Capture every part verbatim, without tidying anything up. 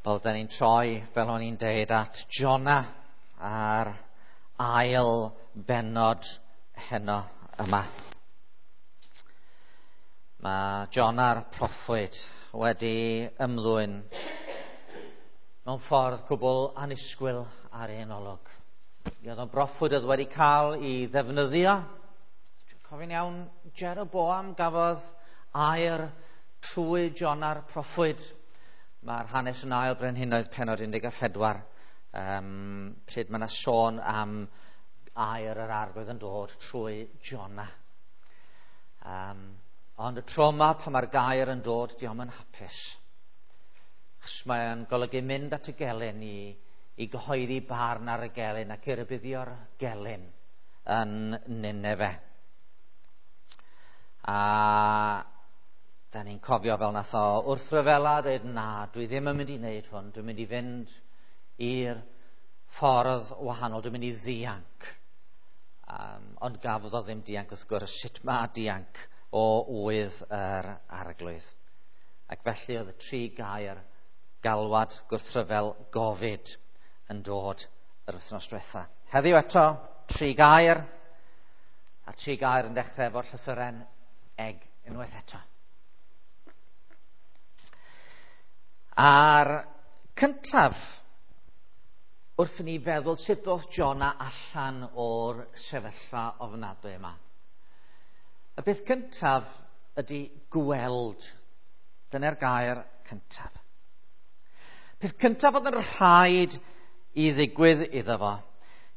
Wel, da ni'n troi, fel o'n i'n deud, at Jona a'r ail bennod heno yma. Mae Jona'r proffwyd wedi ymddwyn mewn ffordd cwbl annisgwyl ar ein olwg. Mi oedd o'n broffwyd oedd wedi cael ei ddefnyddio. Dwi'n cofio'n iawn, Jeroboam gafodd air trwy Jona'r proffwyd. Mae'r hanes yn ail Brenhinoedd pennod un deg a phedwar, um, pryd mae yna sôn am air yr Arglwydd yn dod trwy Jona. Um, ond y tro yma pan mae'r gair yn dod, diom yn hapus. Achos mae'n golygu mynd at y gelyn i, i gyhoeddi barn ar y gelyn ac i rybuddio'r gelyn yn Nineve. A da ni'n cofio fel nath o wrthryfela dweud, na, dwi ddim yn mynd i wneud hwn, dwi'n mynd i fynd i'r ffordd wahanol, dwi'n mynd i ddianc. Um, ond gafodd o ddim dianc wrth gwrs, sut mae dianc o ŵydd yr Arglwydd. Ac felly oedd y tri gair galwad, gwrthryfel, gofid yn dod yr wythnos diwetha. Heddiw eto, tri gair, a tri gair yn dechrau efo'r llythyren eg unwaith eto. A'r cyntaf, wrth i ni feddwl sut ddoth Jona allan o'r sefyllfa ofnadwy yma. Y beth cyntaf ydy gweld. Dyna'r gair cyntaf. Peth cyntaf oedd yn rhaid i ddigwydd iddo fo,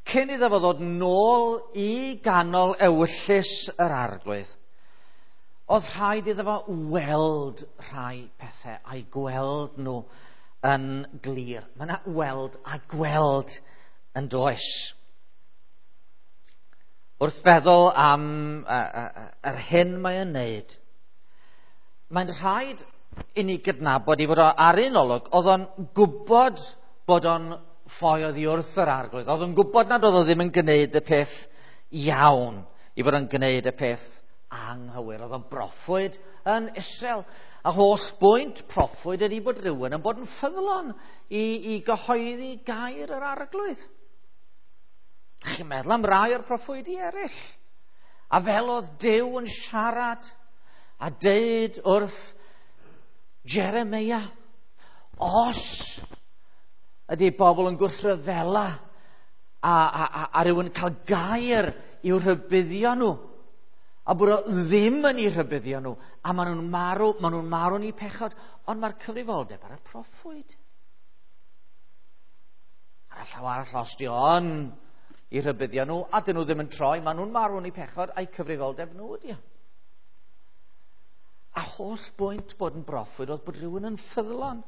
cyn iddo fo ddod nôl i ganol ewyllys yr Arglwydd, oedd rhaid iddo fo weld rhai pethau a'i gweld nhw yn glir. Mae yna weld a gweld yn does. Wrth feddwl am yr hyn mae'n wneud, mae'n rhaid i ni gydnabod i fod o ar un olwg, oedd o'n gwybod bod o'n ffoi oddi wrth yr Arglwydd. Oedd o'n gwybod nad oedd o ddim yn gwneud y peth iawn, i fod o'n gwneud y peth anghywir. Oedd o'n broffwyd yn Israel. A holl bwynt proffwyd ydy bod rhywun yn bod yn ffyddlon i, i gyhoeddi gair yr Arglwydd. Chi'n meddwl am rai o'r proffwydi eraill. A fel oedd Duw yn siarad a deud wrth Jeremia, os ydy bobl yn gwrthryfela a, a, a, a rhywun yn cael gair i'w rhybuddio nhw, a bod o ddim yn eu rhybuddio nhw, a maen nhw'n marw, maen nhw'n marw yn eu pechod, ond mae'r cyfrifoldeb ar y proffwyd. Ar y llaw arall, os di o'n i rhybuddio nhw, a dyn nhw ddim yn troi, maen nhw'n marw yn eu pechod, a'i cyfrifoldeb nhw ydi o. A holl bwynt bod yn broffwyd oedd bod rhywun yn ffyddlon.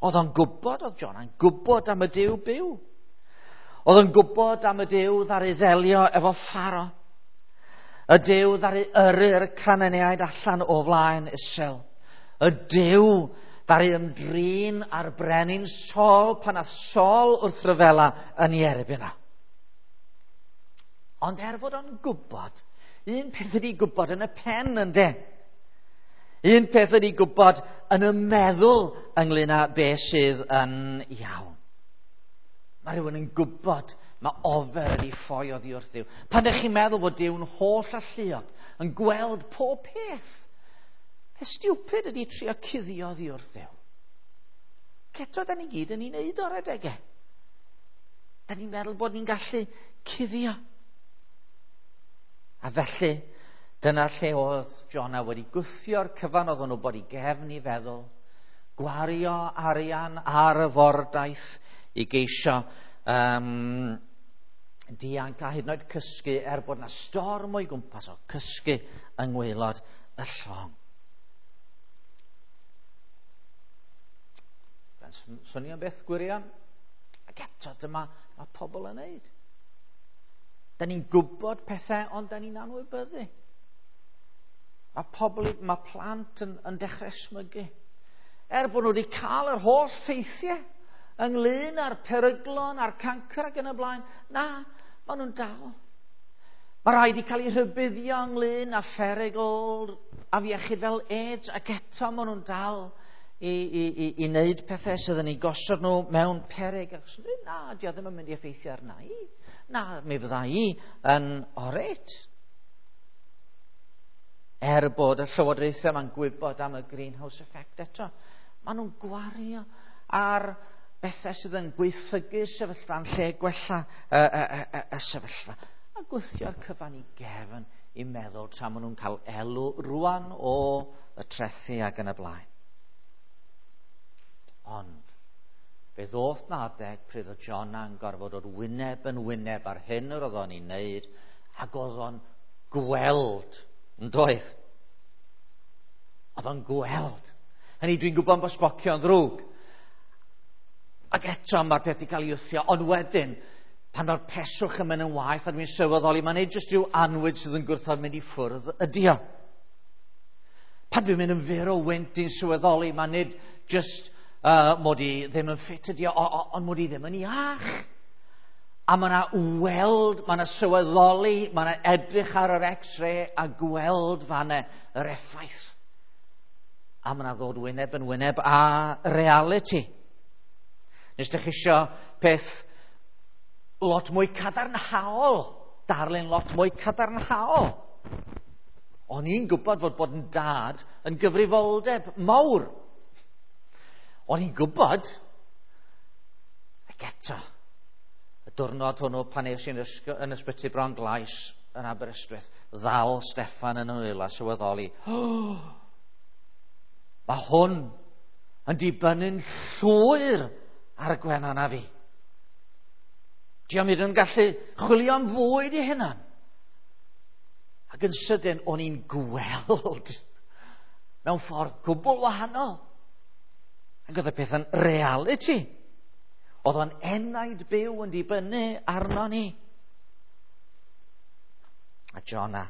Oedd o'n gwybod, oedd Jona'n gwybod am y Duw byw. Oedd o'n gwybod am y Duw ddaru ddelio efo Pharo. Y Duw ddaru yrru'r Cananeaid allan o flaen Israel. Y Duw ddaru ymdrin â'r brenin Saul pan ath Saul wrth ryfela yn ei erbyn o. Ond er fod o'n gwybod, un peth ydi gwybod yn y pen, ynde? Un peth ydi gwybod yn y meddwl ynglyn â beth sydd yn iawn. Mae rhywun yn gwybod, mae ofer ydi ffoi oddi wrth Dduw. Pan ydych chi'n meddwl fod Duw'n holl alluog, yn gweld pob peth, peth stupid ydi trio cuddio oddi wrth Dduw. Eto, da ni gyd yn ei wneud o'r adegau. Da ni'n meddwl bod ni'n gallu cuddio. A felly, dyna lle oedd Jona wedi gwthio'r cyfan oedd o'n wybod i gefn i feddwl, gwario arian ar y fordaith i geisio um, dianc a hyd yn oed cysgu er bod na storm o'i gwmpas o, cysgu yng ngwaelod y llong. Swnio'n beth gwirion? Ac eto dyma mae pobl yn neud. Da ni'n gwybod pethau, ond da ni'n anwybyddu. Mae pobl, mae plant yn, yn dechrau smygu. Er bod nhw wedi cael yr holl ffeithiau ynglyn â'r peryglon, a'r cancr ac yn y blaen, na, maen nhw'n dal. Mae rhaid i cael eu rhybuddio ynglyn â pherygl afiechyd fel AIDS, ac eto maen nhw'n dal i, i, i, i wneud pethau sydd yn ei gosod nhw mewn peryg. Ac na, di o ddim yn mynd i effeithio arna i. Na, mi fydda i yn oret. Er bod y llywodraethau yma'n gwybod am y greenhouse effect eto, maen nhw'n gwario ar bethau sydd yn gweithygu sefyllfa yn lle gwella y, y, y, y sefyllfa. A gwthio'r cyfan i gefn i meddwl tra maen nhw'n cael elw rwan o y trethu ac yn y blaen. Ond fe ddoth na adeg pryd oedd Jonah yn gorfod dod wyneb yn wyneb ar hyn yr oedd o'n ei wneud, ac oedd o'n gweld, yn doedd? Oedd o'n gweld. Hynny, dwi'n gwybod bod sbocio'n ddrwg. Ac eto mae'r peth wedi cael ei wthio, ond wedyn, pan mae'r peswch yn mynd yn waeth a dwi'n sylweddoli, mae'n neud jyst rhyw anwyd sydd yn gwrthod mynd i ffwrdd ydi o. Pan dwi'n mynd yn fyr o wynt, dwi'n sylweddoli, mae'n nid jyst uh, mod i ddim yn ffit ydi o, ond mod i ddim yn iach. A mae yna weld, mae yna sylweddoli, mae yna edrych ar yr x-ray a gweld fanna yr effaith. A mae yna ddod wyneb yn wyneb a reality. Nes ydych chi isio peth lot mwy cadarnhaol, darlun lot mwy cadarnhaol. O'n i'n gwybod fod bod yn dad yn gyfrifoldeb mawr. O'n i'n gwybod, ac eto, y diwrnod hwnnw pan es i'n yn ysbyty Bron Glais yn Aberystwyth, ddal Steffan yn ymwyl a sylweddoli, oh, mae hwn yn dibynnu'n llwyr ar y gwenan a fi. Diolch yn gallu chwilio am fwyd i hunan. Ac yn sydyn, o'n i'n gweld mewn ffordd gwbl wahanol. Ac oedd y peth yn reality. Oedd o'n enaid byw yn dibynnu arno ni. A Jonah,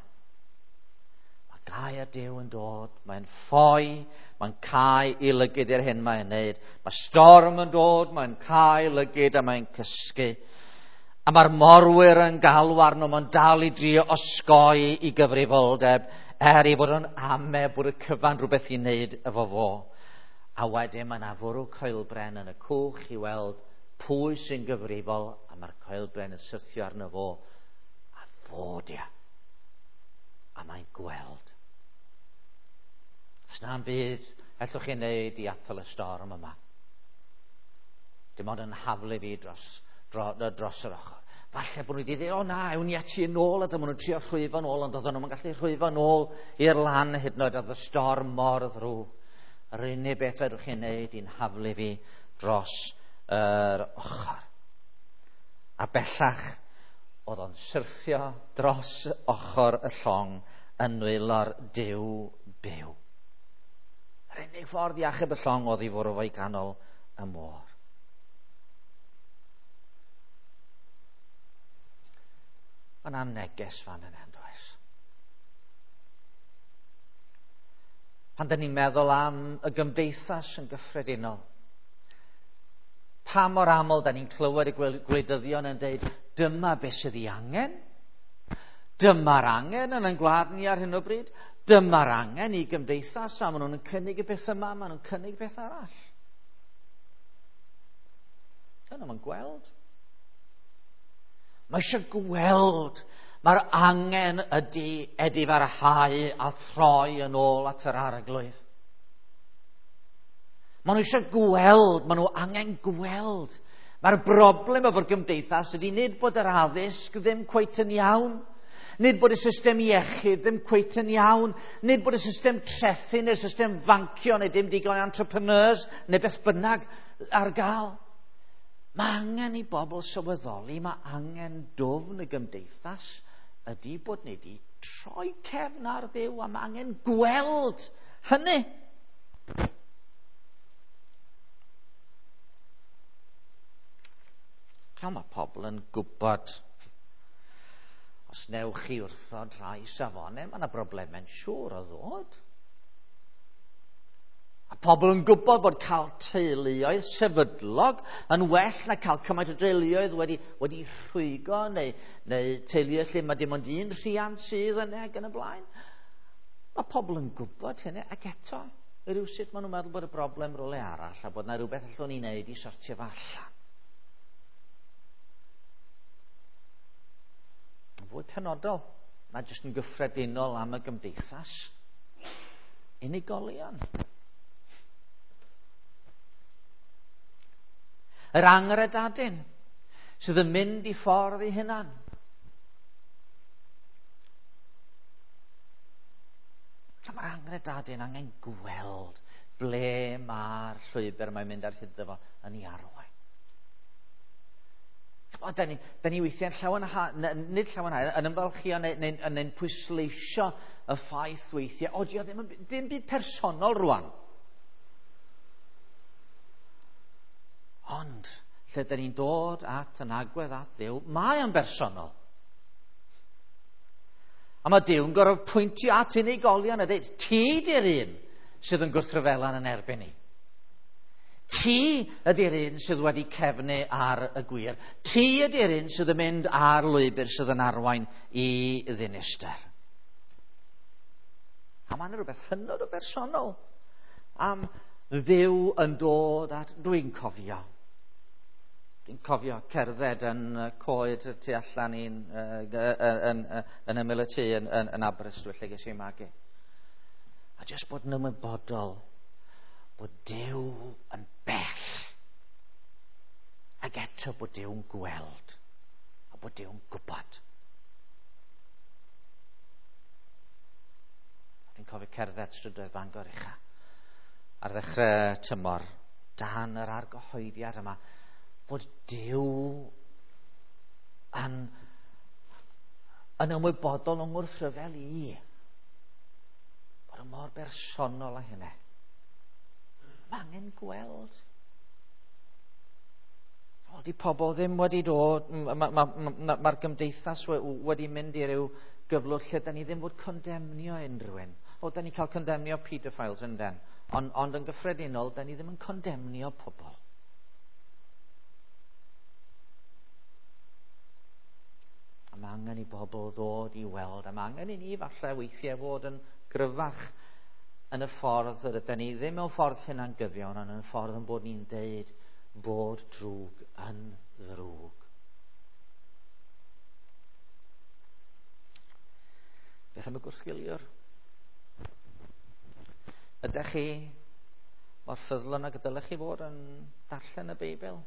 mae gair Duw yn dod, mae'n ffoi, mae'n cau i lygid i'r hyn mae'n neud. Mae storm yn dod, mae'n cau lygid a mae'n cysgu. A mae'r morwyr yn galw arno, mae'n dal i drio osgoi i gyfrifoldeb, er ei fod yn ame bod y cyfan rhywbeth i wneud efo fo. A wedyn mae yna fwrw coelbren yn y cwch i weld pwy sy'n gyfrifol, a mae'r coelbren yn syrthio arno fo, a fo dia. A mae'n gweld. Sna'm byd ellwch chi wneud i atal y storm yma. Dim ond yn haflu fi dros, dro, dros yr ochr. Falle bod nhw wedi dweud, o na, ewn ni ati yn ôl, a dyma nhw'n trio rhwyfo yn ôl, ond oedden nhw'n gallu rhwyfo yn ôl i'r lan hyd yn oed, oedd y storm mor ddrwg. Yr unig beth fedrwch chi wneud i'n haflu fi dros yr ochr. A bellach, oedd o'n syrthio dros ochr y llong yn nwylo'r Duw byw. Yr unig ffordd i achub y llong oedd i fwrw fo i ganol y môr. Mae yna neges fan yna, yn does? Pan dyn ni'n meddwl am y gymdeithas yn gyffredinol, pa mor aml da ni'n clywed y gwleidyddion yn dweud, dyma beth sydd ei angen, dyma'r angen yn ein gwlad ni ar hyn o bryd, dyma'r angen i gymdeithas, a maen nhw'n cynnig y beth yma, maen nhw'n cynnig beth arall. Dyna nhw'n gweld. Mae eisiau gweld. Mae'r angen ydy edifarhau a throi yn ôl at yr arglwydd. Maen nhw eisiau gweld, maen nhw angen gweld. Mae'r broblem efo'r gymdeithas ydy nid bod yr addysg ddim cweit yn iawn, nid bod y system iechyd ddim cweit yn iawn, nid bod y system trethu neu'r system fancio neu dim digon entrepreneurs neu beth bynnag ar gael. Mae angen i bobl sylweddoli, mae angen dwfn y gymdeithas ydy bod ni wedi troi cefn ar Dduw, a mae angen gweld hynny. Cael mae pobl yn gwybod, os newch chi wrthod rhai safonau, mae yna broblemau'n siŵr o ddod. A pobl yn gwybod bod cael teuluoedd sefydlog yn well na cael cymaint o deuluoedd wedi, wedi rhwygo neu, neu teuluoedd lle mae dim ond un rhiant sydd yna ac yn y blaen. Mae pobl yn gwybod hynny, ac eto Rywsut maen nhw'n meddwl bod y broblem rywle arall a bod yna rhywbeth allwn ni wneud i sortio fo allan. Yn fwy penodol, na jyst yn gyffredinol am y gymdeithas. Unigolion. Yr angredadun sydd yn mynd i ffordd ei hunan. A mae'r angredadun angen gweld ble mae'r llwybr mae'n mynd ar hyd fo yn ei arwain. O, da ni, da ni weithiau'n llawenhau, nid llawenhau, yn ymfalchio neu, neu, neu, neu'n pwysleisio y ffaith weithiau, o, di o ddim, ddim byd personol rwan. Ond, lle da ni'n dod at yn agwedd at Dduw, mae o'n bersonol. A mae Duw'n gorfod pwyntio at unigolion a dweud, ti di'r un sydd yn gwrthryfela'n yn erbyn ni. Ti ydy'r un sydd wedi cefnu ar y gwir. Ti ydy'r un sydd yn mynd ar lwybr sydd yn arwain i ddinistr. A mae'n rhywbeth hynod o bersonol am Dduw yn dod at... Dwi'n cofio. Dwi'n cofio cerdded yn coed tu allan i'n yn, yn, yn ymyl y tŷ yn, yn, yn Aberystwyth lle ges i magu. A jyst bod yn ymwybodol bod Duw yn bell. Ac eto bod Duw'n gweld a bod Duw'n gwybod. Dwi'n cofio cerdded strydoedd Bangor ucha ar ddechrau tymor dan yr argyhoeddiad yma bod Duw yn, yn ymwybodol o'n ngwrthryfel i. Bod yn mor bersonol â hynny. Mae angen gweld. O, di pobl ddim wedi dod, mae'r ma, ma, ma, ma gymdeithas wedi mynd i ryw gyflwr lle da ni ddim fod condemnio unrhyw un. O, da ni cael condemnio pedophiles yn den. Ond, ond yn gyffredinol, da ni ddim yn condemnio pobl. A mae angen i bobl ddod i weld, a mae angen i ni falle weithiau fod yn gryfach yn y ffordd yr ydyn ni, ddim mewn ffordd hunangyfiawn, ond yn y ffordd yn bod ni'n deud bod drwg yn ddrwg. Beth am y gwrthgiliwr? Ydych chi mor ffyddlon ag y dylech chi fod yn darllen y Beibl?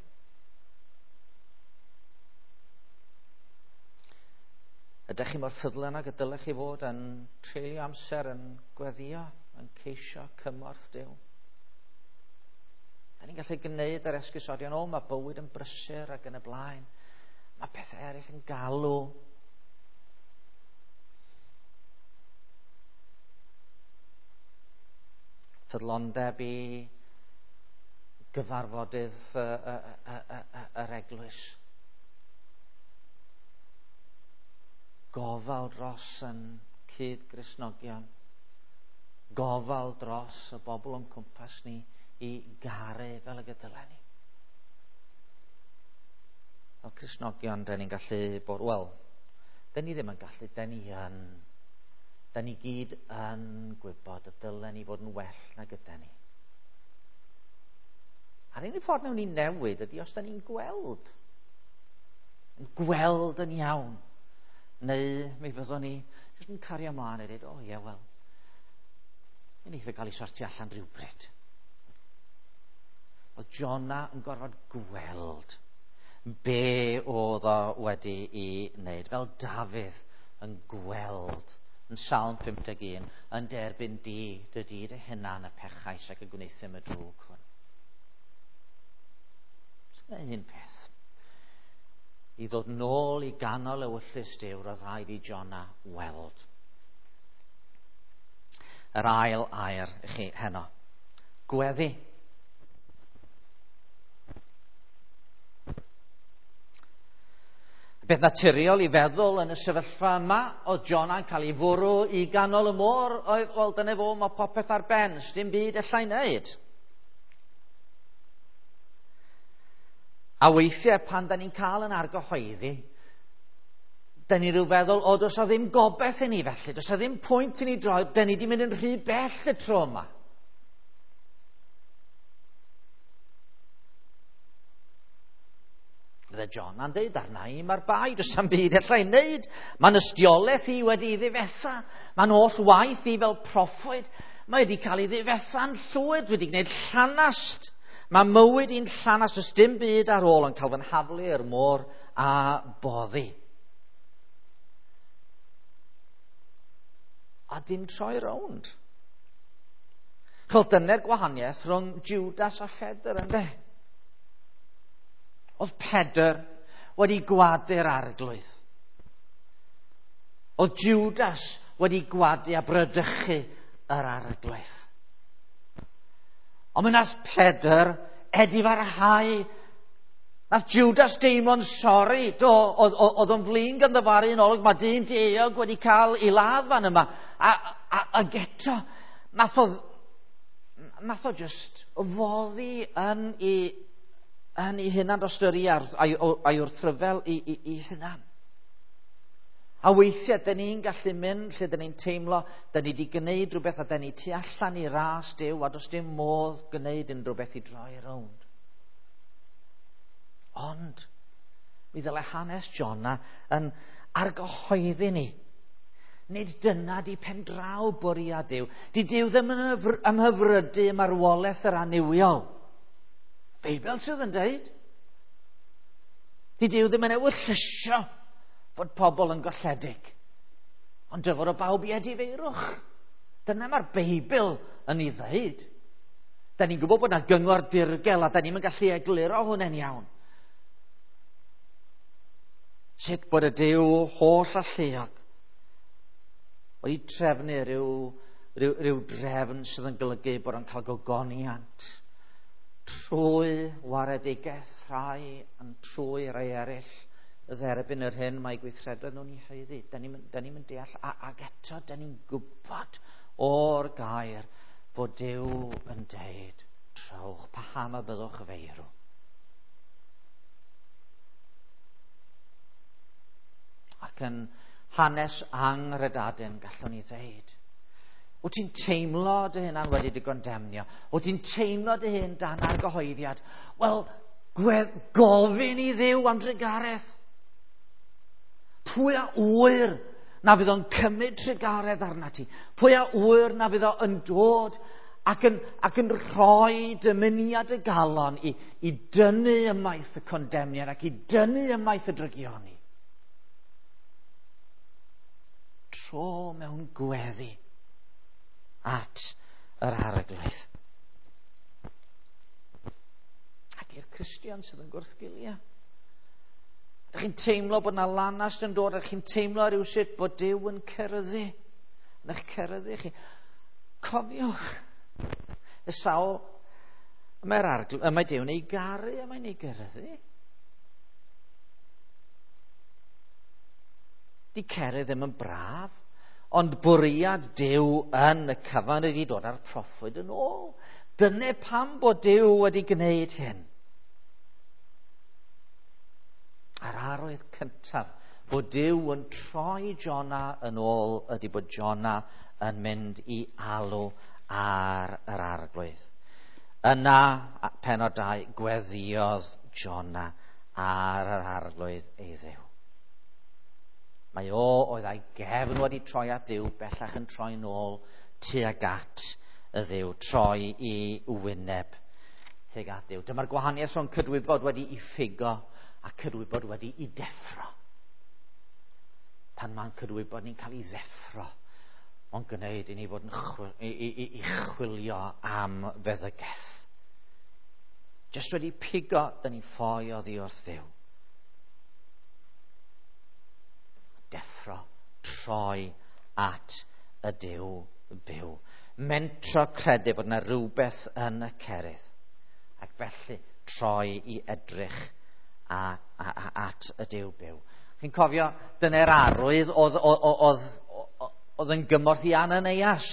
Ydych chi mor ffyddlon ag y dylech chi fod yn treulio amser yn gweddïo, yn ceisio cymorth Duw? Da ni'n gallu gwneud yr esgusodion, o, mae bywyd yn brysur ac yn y blaen. Mae pethau eraill yn galw. Ffyddlondeb i gyfarfodydd yr eglwys. Gofal dros yn cyd-Gristnogion. Gofal dros y bobl o'n cwmpas ni i garu fel y gydylen ni. Fel Cristnogion, da ni'n gallu bod, wel, da ni ddim yn gallu, da ni yn. Da ni gyd yn gwybod y dylen ni fod yn well na gyda ni. A'r unig ffordd wnawn ni newid ydy os da ni'n gweld. Yn gweld yn iawn. Neu mi fyddwn ni jyst yn cario ymlaen a dweud, o ie, wel, mi wneith o gael ei sortio allan rhywbryd. Oedd Jona yn gorfod gweld be oedd o wedi ei wneud. Fel Dafydd yn gweld yn Salm pump deg un, yn derbyn di, dy di dy hunan y pechais ac y gwneuthum y drwg hwn. Dyna un peth. I ddod nôl i ganol ewyllys Duw, roedd rhaid i Jona weld. Yr ail air i chi heno. Gweddi. Beth naturiol i feddwl yn y sefyllfa yma, oedd Jona'n cael ei fwrw i ganol y môr, oedd, wel, dyna fo, mae popeth ar ben, sdim byd allai wneud. A weithiau pan da ni'n cael yn argyhoeddi, da ni rhyw feddwl, o, does o ddim gobaith i ni felly, does o ddim pwynt i ni droi, da ni di mynd yn rhy bell y tro yma. Fydde Jona'n deud arna i, mae'r bai, does am byd allai wneud. Mae'n ystiolaeth i wedi ei ddifetha. Mae'n holl waith i fel proffwyd. Mae wedi cael ei ddifetha'n llwyr. Dwi wedi gwneud llanast. Mae mywyd i'n llanast. Does dim byd ar ôl yn cael fy nhaflu i'r môr a boddi. A dim troi rownd. Chos dyna'r gwahaniaeth rhwng Judas a Phedr, ynde? Oedd Pedr wedi gwadu'r arglwydd. Oedd Judas wedi gwadu a brydychu yr arglwydd. Ond mi nath Pedr edifarhau. Nath Judas deimlo'n sori. Do, oedd, oedd o'n flin ganddo fo ar un olwg. Mae dyn dieuog wedi cael ei ladd fan yma. A, a, ac eto, nath o, nath o just foddi yn ei, yn ei hunan dosturi a'i, a'i wrthryfel i, i, i hunan. A weithiau, dyn ni'n gallu mynd lle dyn ni'n teimlo, dyn ni wedi gwneud rhywbeth a dyn ni tu allan i ras Duw a does dim modd gwneud unrhyw beth i droi rownd. Ond, mi ddyle hanes Jona yn argyhoeddi ni. Nid dyna di pendraw bwriad Duw. Di Duw ddim yn ymhyfrydu marwolaeth yr annuwiol. Beibl sydd yn deud. Di Duw ddim yn ewyllysio fod pobl yn golledig. Ond dyfod o bawb i edifeirwch. Dyna mae'r Beibl yn ei ddeud. Da ni'n gwybod bod yna gyngor dirgel a da ni'n gallu egluro hwnna'n iawn. Sut bod y Duw holl alluog wedi trefnu rhyw, rhyw, rhyw drefn sydd yn golygu bod o'n cael gogoniant trwy waredigaeth rhai yn trwy rai eraill dderbyn yr hyn mae gweithredoedd nhw'n ei haeddu. Da ni'n mynd deall, a, ac eto da ni'n gwybod o'r gair bod Duw yn deud, trowch, paham y byddwch feirw. Ac yn hanes anghredadun gallwn ni ddeud, wyt ti'n teimlo dy hunan wedi dy gondemnio? Wyt ti'n teimlo dy hun dan argyhoeddiad? Wel, gwedd, gofyn i Dduw am drugaredd. Pwy a ŵyr na fydd o'n cymryd trugaredd arna ti? Pwy a ŵyr na fydd o'n dod ac yn, ac yn rhoi dymuniad y galon i, i dynnu ymaith y condemniad ac i dynnu ymaith y drygioni? Tro mewn gweddi at yr arglwydd. Ac i'r Cristion sydd yn gwrthgilio. Ydych chi'n teimlo bod yna lanast yn dod, ydych chi'n teimlo rhywsut bod Duw yn ceryddu, yn eich ceryddu chi. Cofiwch, y sawl, mae'r arglwydd, mae Duw'n ei garu a mae'n ei geryddu. Di cerydd ddim yn braf, ond bwriad Duw yn y cyfan wedi dod â'r proffwyd yn ôl. Dyna pam bod Duw wedi gwneud hyn. A'r arwydd cyntaf bod Duw yn troi Jona yn ôl ydy bod Jona yn mynd i alw ar yr arglwydd. Yna, pennod dau, gweddïodd Jona ar yr arglwydd ei Dduw. Mae o oedd a'i gefn wedi troi at Dduw, bellach yn troi nôl tuag at y Dduw, troi i wyneb tuag at Dduw. Dyma'r gwahaniaeth rhwng cydwybod wedi i ffigo a cydwybod wedi i deffro. Pan mae'n cydwybod ni'n cael ei ddeffro, ond gwneud i ni fod yn chwil, i, i, i chwilio am feddygaeth. Jyst wedi pigo, dyn ni'n ffoi oddi wrth Dduw. Deffro, troi at y Duw byw. Mentro credu bod yna rhywbeth yn y cerydd. Ac felly troi i edrych a, a, a, at y Duw byw. Chi'n cofio, dyna'r arwydd oedd, oedd, oedd, oedd yn gymorth i Ananias.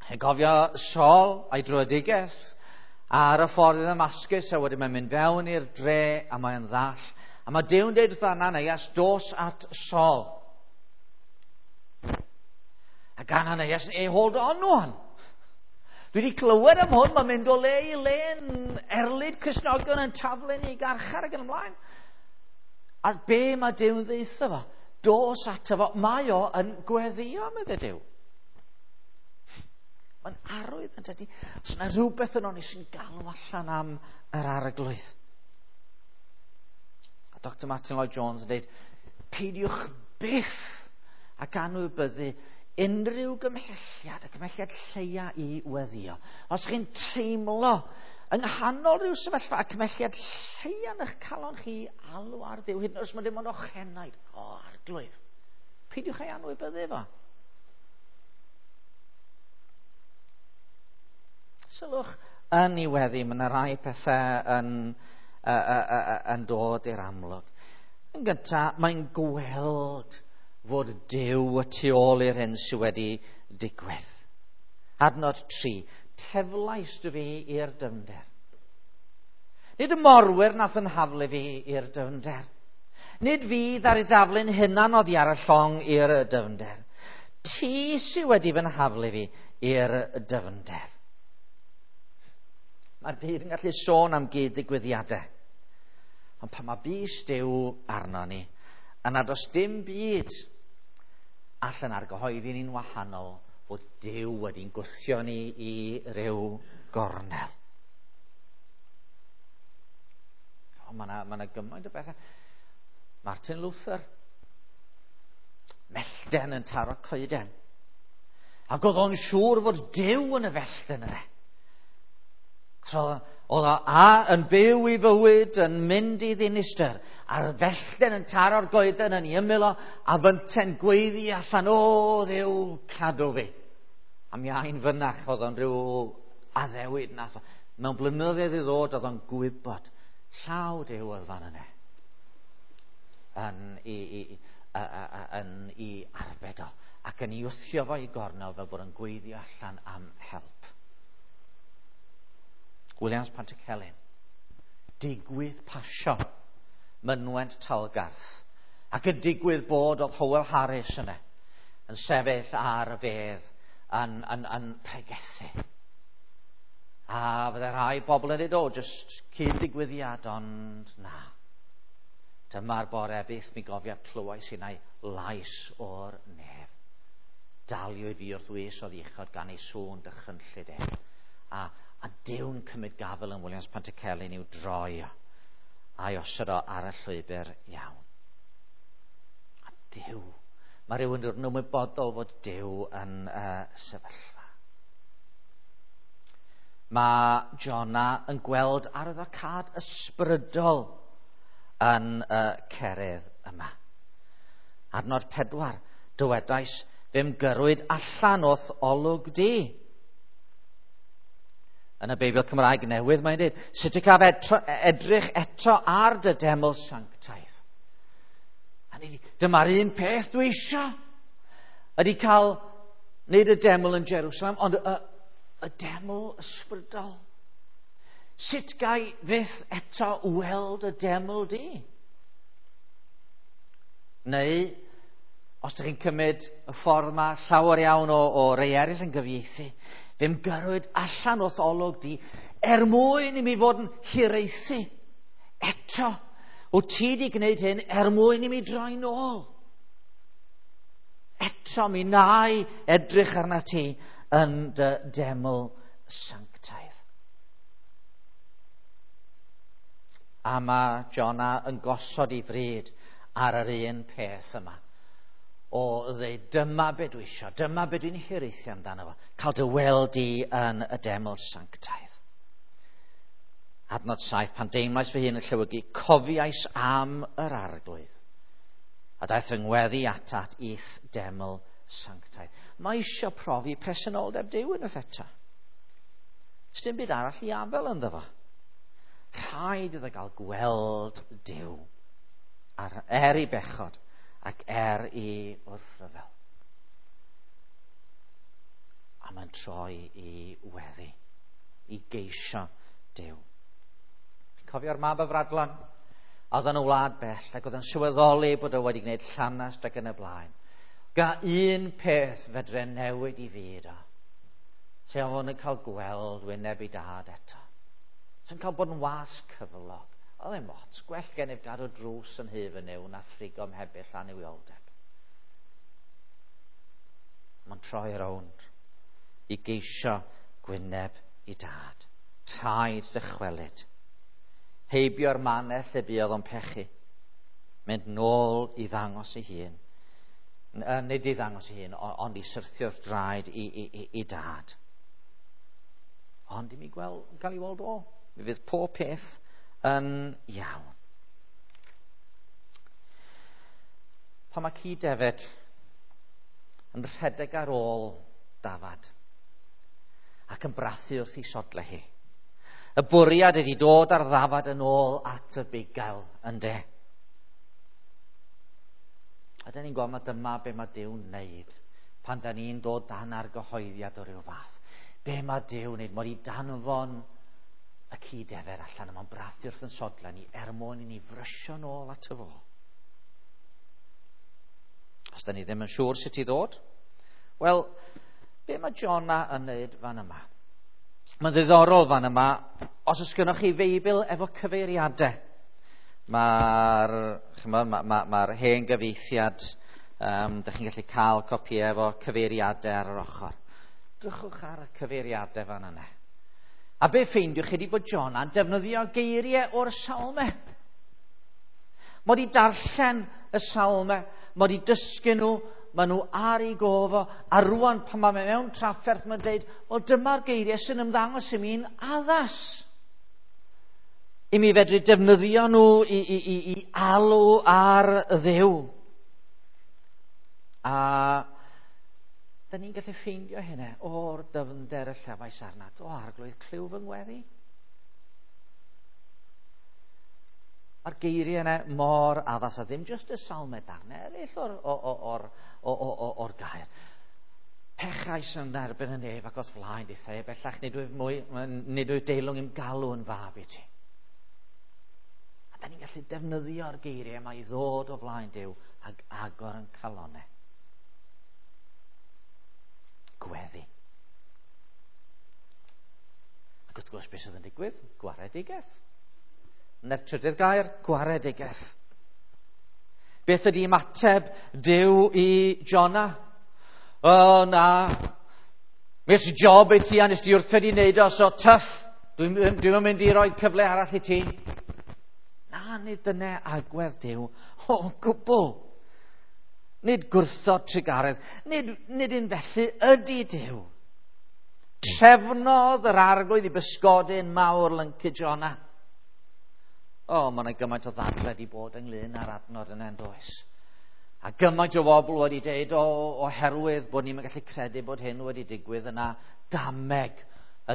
Chi'n cofio Saul a'i dröedigaeth ar y ffordd i Ddamascus, a wedyn mae'n mynd fewn i'r dre a mae'n ddall. A mae Duw'n deud wrth Ananias, dos at Saul. Ac Ananias, hey, hold on one. Dwi wedi clywed am hwn, mae'n mynd o le i le yn erlid Cristnogion yn taflu ni i garchar ac yn ymlaen. A be mae Duw'n ddeutha fo? Dos ato fo, mae o yn gweddio, medde Duw. Mae'n arwydd yn dydy. Os yna rhywbeth yno ni sy'n galw allan am yr arglwydd. A Doctor Martin Lloyd-Jones yn dweud, peidiwch byth ac anwybyddu unrhyw gymhelliad, y cymhelliad lleia i weddio. Os chi'n teimlo yng nghanol rhyw sefyllfa, y cymhelliad lleia yn eich calon chi alw ar Dduw, hyd yn oed os mae dim ond ochenaid, o arglwydd, peidiwch ei anwybyddu fo. Sylwch yn ei weddi, mae yna rai pethau yn, uh, uh, uh, yn dod i'r amlwg. Yn gyntaf, mae'n gweld fod Duw y tu ôl i'r hyn sydd wedi digwydd. Adnod tri, teflais dy fi i'r dyfnder. Nid y morwyr nath yn haflu fi i'r dyfnder. Nid fi ddaru daflu'n hunan oddi ar y llong i'r dyfnder. Ti sydd wedi fy nhaflu fi i'r dyfnder. Mae'r byd yn gallu sôn am gyd-ddigwyddiadau. Ond pan mae bys Duw arno ni, yna does dim byd allan argyhoeddi ni'n wahanol fod Duw wedi'n gwthio ni i ryw gornel. O, mae yna, ma yna gymaint o bethau. Martin Luther, mellten yn taro coeden. Ac oedd o'n siŵr fod Duw yn y fellten yna. So, oedd o a yn byw i fywyd, yn mynd i ddinistr, a'r fellten yn taro'r goeden yn ei ymyl o, a fynten gweiddi allan, o Dduw, cadw fi. A mi ai'n fynach, oedd o'n rhyw addewid nath o. Mewn blynyddoedd i ddod, oedd o'n gwybod, llaw Duw oedd fan yna, yn i, i, i, yn i arbed o, ac yn ei wthio fo i gornel fel bod yn gweiddi allan am help. Williams Pantycelyn, digwydd pasio mynwent Talgarth, ac yn digwydd bod oedd Howell Harris yna, yn sefyll ar y fedd yn, yn, yn pregethu. A fydde rhai bobl yn dweud, o, jyst cyd-ddigwyddiad, ond na. Dyma'r bore byth mi gofiaf clywais innau lais o'r nef. Daliwyd fi wrth wys oedd uchod gan ei sŵn dychrynllyd e. A A Duw'n cymryd gafel yn Williams Pantycelyn i'w droi o, a'i osod o ar y llwybr iawn. A Duw, mae rhywun yn ymwybodol fod Duw yn uh, sefyllfa. Mae Jona yn gweld arwyddocâd ysbrydol yn y uh, cerydd yma. Adnod pedwar, dywedais, fe'm gyrrwyd allan o'th olwg di. Yn y Beibl Cymraeg newydd mae'n dweud, sut y caf edrych eto ar dy deml sanctaidd? A ni, dyma'r un peth dwi eisiau. Ydy cael, nid y deml yn Jerusalem, ond y, y deml ysbrydol. Sut gai fyth eto weld y deml di? Neu, os ydych chi'n cymryd y ffordd yma, llawer iawn o, o rei eraill yn gyfieithu, fe'm gyrrwyd allan o'th olwg di, er mwyn i mi fod yn hiraethu. Eto, wyt ti di gwneud hyn er mwyn i mi droi nôl. Eto, mi nai edrych arna ti yn dy deml sanctaidd. A mae Jona yn gosod ei fryd ar yr un peth yma. O ddeud, dyma be dwi isio, dyma be dwi'n hiraethu amdano fo, cael dy weld di yn y deml sanctaidd. Adnod saith, pan deimlais fy hun yn llewygu, cofiais am yr arglwydd, a daeth fy ngweddi atat i'th deml sanctaidd. Mae isio profi presenoldeb Duw unwaith eto. Sdim byd arall i afel ynddo fo. Rhaid iddo gael gweld Duw ar, er ei bechod ac er i wrthryfel. A mae'n troi i weddi, i geisio Duw. Cofio'r mab y Fradlon? Oedd yn y wlad bell ac oedd yn sylweddoli bod o wedi gwneud llanast ac yn y blaen. Ga un peth fedre newid i fyd o. Lle oedd yn cael gweld wyneb ei dad eto. Sy'n cael bod yn was cyflog. Oedd e'n ots, gwell gennyf gadw drws yn hyf yn yw na thrigo mhebyll annuwioldeb. Mae'n troi rownd i geisio gwyneb i dad. Rhaid dychwelyd. Heibio'r mannau lle buodd o'n pechu. Mynd nôl i ddangos ei hun. Nid i ddangos ei hun, ond i syrthio'r draed i, i, i, i dad. Ond i mi gweld, gael ei weld o. Mi fydd pob peth yn iawn. Pan mae ci defed yn rhedeg ar ôl dafad ac yn brathu wrth ei sodle hi. Y bwriad ydy dod ar ddafad yn ôl at y bugail, ynde? A dyn ni'n gweld mae dyma be mae Duw'n wneud pan da ni'n dod dan argyhoeddiad o ryw fath. Be mae Duw'n wneud? Mae wedi danfon y ci defer allan a mae'n brathu wrth yn sodle ni er mwyn i ni frysio nôl at y fo. Os da ni ddim yn siŵr sut i ddod, wel, be mae Jona yn wneud fan yma? Mae'n ddiddorol fan yma, os oes gennych chi Feibl efo cyfeiriadau, mae'r ma, ma, ma hen gyfieithiad, um, dych chi'n gallu cael copïau efo cyfeiriadau ar yr ochr. Drychwch ar y cyfeiriadau fan yna. A be ffeindiwch chi ydi bod Jona'n defnyddio geiriau o'r salmau. Mae wedi darllen y salmau, mae wedi dysgu nhw, maen nhw ar ei gofo, a rwan pan mae mewn trafferth mae'n dweud, wel dyma'r geiriau sy'n ymddangos i mi'n addas. I mi fedru defnyddio nhw i, i, i, i alw ar Dduw. A da ni'n gallu ffeindio hynna o'r dyfnder y llefais arnat. O Arglwydd, clyw fy ngweddi. Mae'r geiriau yna mor addas a ddim jyst y salmau darnau eraill o'r, or, or, or, or, or gair. Pechais yn erbyn y nef ac os flaen dithau, bellach nid wyf mwy, nid wyf deilwng i'm galw yn fab i ti. A da ni'n gallu defnyddio'r geiriau yma i ddod o flaen Duw ac agor yn calonau. Gweddi. Ac wrth gwrs beth sydd yn digwydd? Gwaredigaeth. Na'r trydydd gair, gwaredigaeth. Beth ydy ymateb Duw i Jona? O na, mis job i ti a nes di wrthod i wneud o, so tough, dwi'n dwi mynd i roi cyfle arall i ti. Na, nid dyna agwedd Duw o gwbl. Nid gwrthod trugaredd, nid, nid un felly ydy Duw. Trefnodd yr Arglwydd i bysgodyn mawr lyncu Jona. O, mae yna gymaint o ddadle wedi bod ynglyn â'r adnod yna yn does. A gymaint o bobl wedi dweud o, oherwydd bod ni'n gallu credu bod hyn wedi digwydd yna, dameg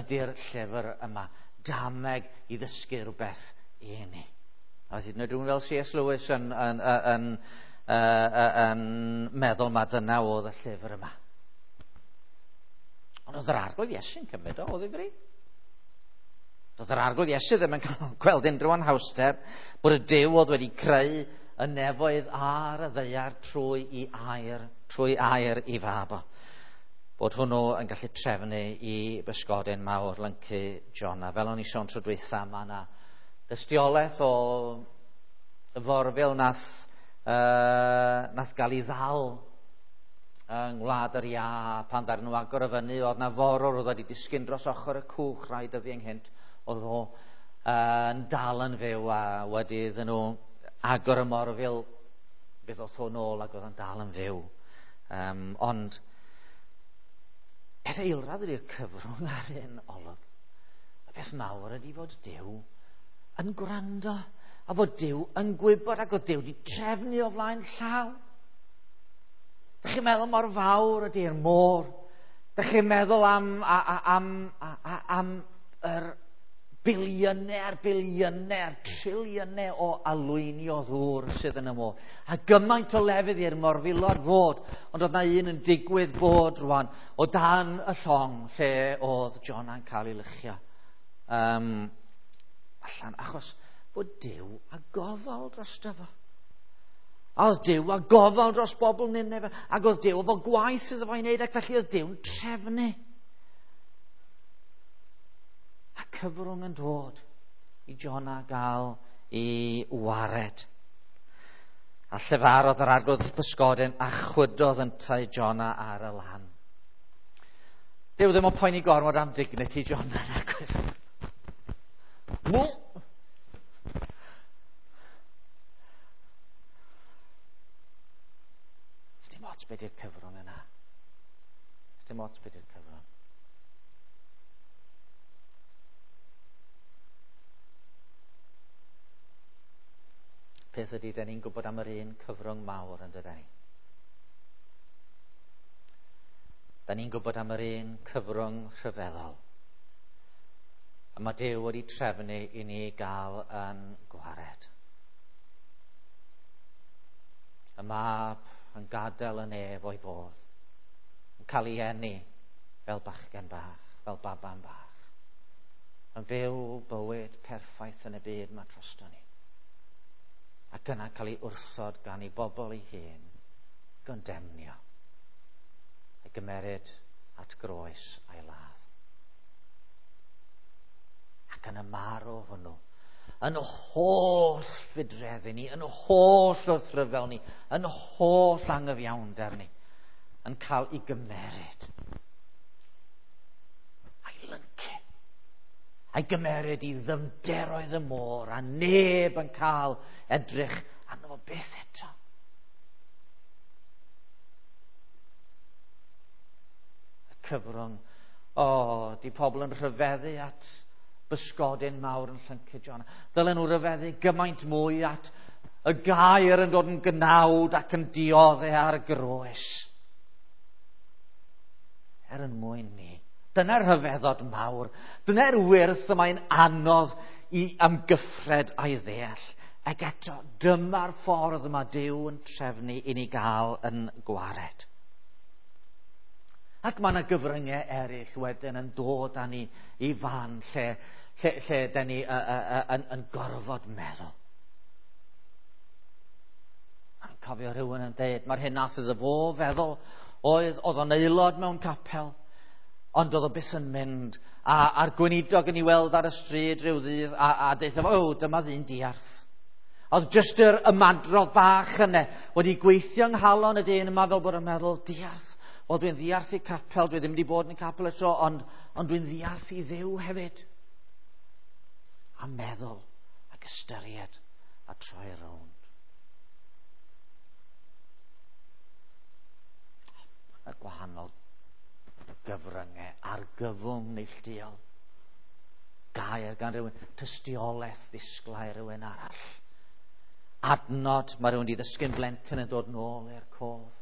ydy'r llyfr yma. Dameg i ddysgu rhywbeth i ni. A hyd yn oed rhywun fel C S Lewis yn, yn, yn, yn, yn meddwl ma dyna oedd y llyfr yma. Ond oedd yr Arglwydd Iesu'n cymryd o, oedd ei fri. Doedd yr Arglwydd Iesu ddim yn cael gweld unrhyw anhawster bod y Duw oedd wedi creu y nefoedd ar y ddaear trwy i air, trwy air i fab o. Bod hwnnw yn gallu trefnu i bysgodyn mawr lyncu Jona. Fel o'n i sôn tro dwytha, mae yna dystiolaeth o forfil nath, uh, nath gael ei ddal yng Ngwlad yr Iâ pan ddaru nhw agor y fyny, oedd na forwr oedd wedi disgyn dros ochr y cwch rai dyddiau ynghynt, oedd o yn dal yn fyw a wedi iddyn nhw agor y morfil, fe ddoth o nôl ac oedd yn dal yn fyw. Um, ond peth eilradd ydy'r cyfrwng ar un olwg. Y peth mawr ydy fod Duw yn gwrando a fod Duw yn gwybod ac oedd Duw wedi trefnu o flaen llaw. Dych chi'n meddwl mor fawr ydy'r môr? Dych chi'n meddwl am, am, am, am yr biliynau a'r biliynau a'r triliynau o alwyni o ddŵr sydd yn y môr. A gymaint o lefydd i'r morfilod fod, ond oedd na un yn digwydd bod rwan o dan y llong lle oedd Jona'n cael ei lychio um, allan, achos bod Duw a gofal drosto fo. A oedd Duw a gofal dros bobl Nineve, ac oedd Duw efo gwaith iddo fo i wneud, ac felly oedd Duw'n trefnu. cyfrwng yn dod i Jona gael i wared. A llefarodd yr arglwydd bysgodyn a chwydodd yntau Jona ar y lan. Dyw ddim yn poeni gormod am dignity Jona, nag oedd. Dim ots beth yw'r cyfrwng yna. Dim ots beth yw'r cyfrwng. Peth ydy, da ni'n gwybod am yr un cyfrwng mawr yn dydyn ni. Da ni'n gwybod am yr un cyfrwng rhyfeddol. A mae Duw wedi trefnu i ni gael yn gwared. Y mab yn gadael y nef o'i fodd, yn cael ei eni fel bachgen bach, fel baban bach, yn byw bywyd perffaith yn y byd mae drosto ni. Ac yna cael ei wrthod gan ei bobl ei hun, gondemnio, a gymeryd at groes a'i ladd. Ac yn y marw hwnnw, yn holl fudreddi ni, yn holl wrthryfel ni, yn holl angyfiawnder ni, yn cael ei gymeryd a'i lyncu, a'i gymeryd i ddyfnderoedd y môr, a neb yn cael edrych arno fo byth eto. Y cyfrwng, o, oh, di pobl yn rhyfeddu at bysgodyn mawr yn llyncu Jona. Dylen nhw ryfeddu gymaint mwy at y gair yn dod yn gnawd ac yn dioddef ar y groes. Er yn mwyn ni. Dyna'r rhyfeddod mawr. Dyna'r wyrth y mae'n anodd i amgyffred a'i ddeall. Ac eto, dyma'r ffordd mae Duw yn trefnu i ni gael yn gwared. Ac mae yna gyfryngau eraill wedyn yn dod â ni i fan lle, lle, lle da ni uh, uh, yn, yn gorfod meddwl. Mae'n cofio rhywun yn dweud, mae'r hyn nath iddo fo feddwl, oedd, oedd o'n aelod mewn capel, ond oedd o byth yn mynd. A, a'r gweinidog yn ei weld ar y stryd rhyw ddydd, a, a deutha fo, o, dyma ddyn diarth. Oedd jyst yr ymadrodd bach yna wedi gweithio yng nghalon y dyn yma fel bod yn meddwl, diarth. Wel, dwi'n ddiarth i capel, dwi ddim wedi bod yn y capel eto, ond, ond dwi'n ddiarth i Dduw hefyd. A meddwl, ac ystyried, a troi rownd. Y gwahanol gyfryngau, argyfwng neilltuol. Gair gan rhywun, tystiolaeth ddisglair rhywun arall. Adnod, mae rhywun wedi ddysgu'n blentyn yn dod nôl i'r cof.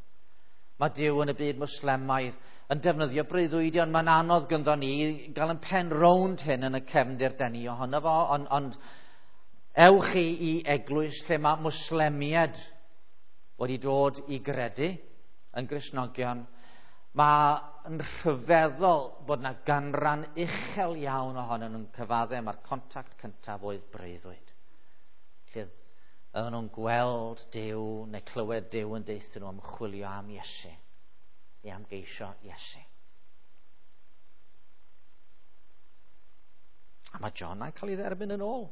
Mae Duw yn y byd Mwslemaidd yn defnyddio breuddwydion. Mae'n anodd gynddo ni gael yn pen rownd hyn yn y cefndir den ni ohono fo, ond, ond ewch i i eglwys lle mae Mwslemiaid wedi dod i gredu yn Gristnogion. Mae'n rhyfeddol bod yna ganran uchel iawn ohonyn nhw'n cyfadde. Mae'r contact cyntaf oedd breuddwyd. Lle oedden nhw'n gweld Duw neu clywed Duw yn deutha nhw am chwilio am Iesu, i am geisio Iesu. A mae Jona'n cael ei dderbyn yn ôl.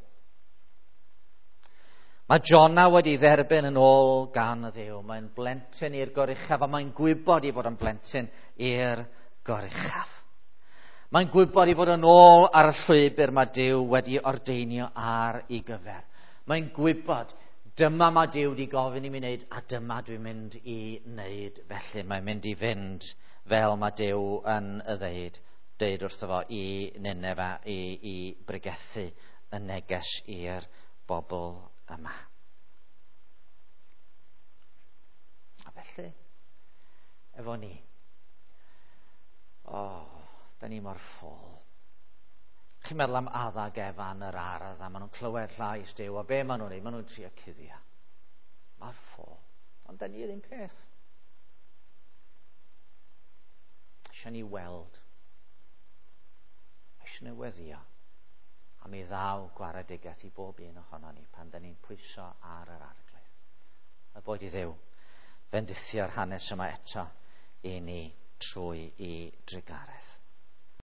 Mae Jona wedi dderbyn yn ôl gan y Dduw. Mae'n blentyn i'r goruchaf, a mae'n gwybod i fod yn blentyn i'r goruchaf. Mae'n gwybod i fod yn ôl ar y llwybr mae Duw wedi ordeinio ar ei gyfer. Mae'n gwybod, dyma mae Duw wedi gofyn i mi wneud, a dyma dwi'n mynd i wneud felly. Mae'n mynd i fynd fel mae Duw yn y ddeud, deud wrtho fo i Ninefa, i, i bregethu y neges i'r bobl yma. A felly, efo ni, o, oh, da ni mor ffôl. Chi'n meddwl am Adda ac Efa yn yr ardd, a maen nhw'n clywed llais Duw, a be maen nhw'n neud? Maen nhw'n trio cuddio. Mae'r ffôl. Ond da ni yr un peth. Eisiau ni weld. Eisiau ni weddio. A mi ddaw gwaredigaeth i bob un ohono ni pan da ni'n pwyso ar yr arglwydd. A boed i Dduw fendithio'r hanes yma eto i ni trwy i drugaredd.